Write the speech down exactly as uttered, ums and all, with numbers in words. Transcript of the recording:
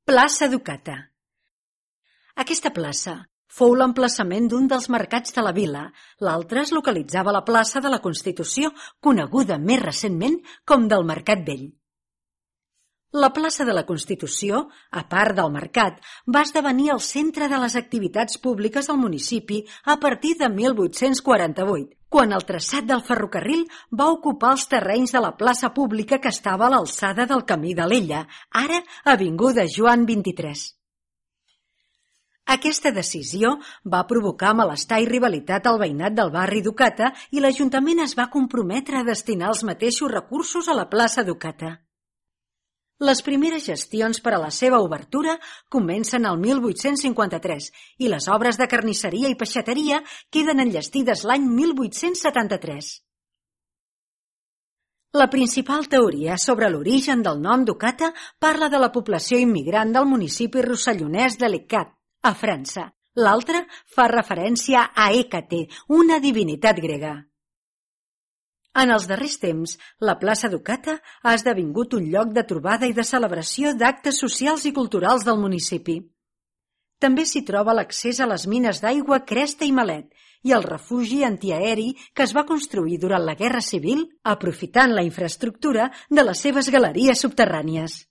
Plaça Ducata. Aquesta plaça fou l'emplaçament d'un dels mercats de la vila, l'altre es localitzava a la plaça de la Constitució, coneguda més recentment com del Mercat Vell. La plaça de la Constitució, a part del mercat, va esdevenir el centre de les activitats públiques del municipi a partir de mil vuit-cents quaranta-vuit, quan el traçat del ferrocarril va ocupar els terrenys de la plaça pública que estava a l'alçada del Camí d'Alella, ara avinguda Joan vint-i-tres. Aquesta decisió va provocar malestar i rivalitat al veïnat del barri Ducata i l'Ajuntament es va comprometre a destinar els mateixos recursos a la plaça Ducata. Les primeres gestions per a la seva obertura comencen al mil vuit-cents cinquanta-tres i les obres de carnisseria i peixateria queden enllestides l'any mil vuit-cents setanta-tres. La principal teoria sobre l'origen del nom Ducata parla de la població immigrant del municipi rossellonès de Leccat, a França. L'altra fa referència a Hècate, una divinitat grega. En els darrers temps, la plaça Ducata ha esdevingut un lloc de trobada i de celebració d'actes socials i culturals del municipi. També s'hi troba l'accés a les mines d'aigua Cresta i Malet i el refugi antiaeri que es va construir durant la Guerra Civil, aprofitant la infraestructura de les seves galeries subterrànies.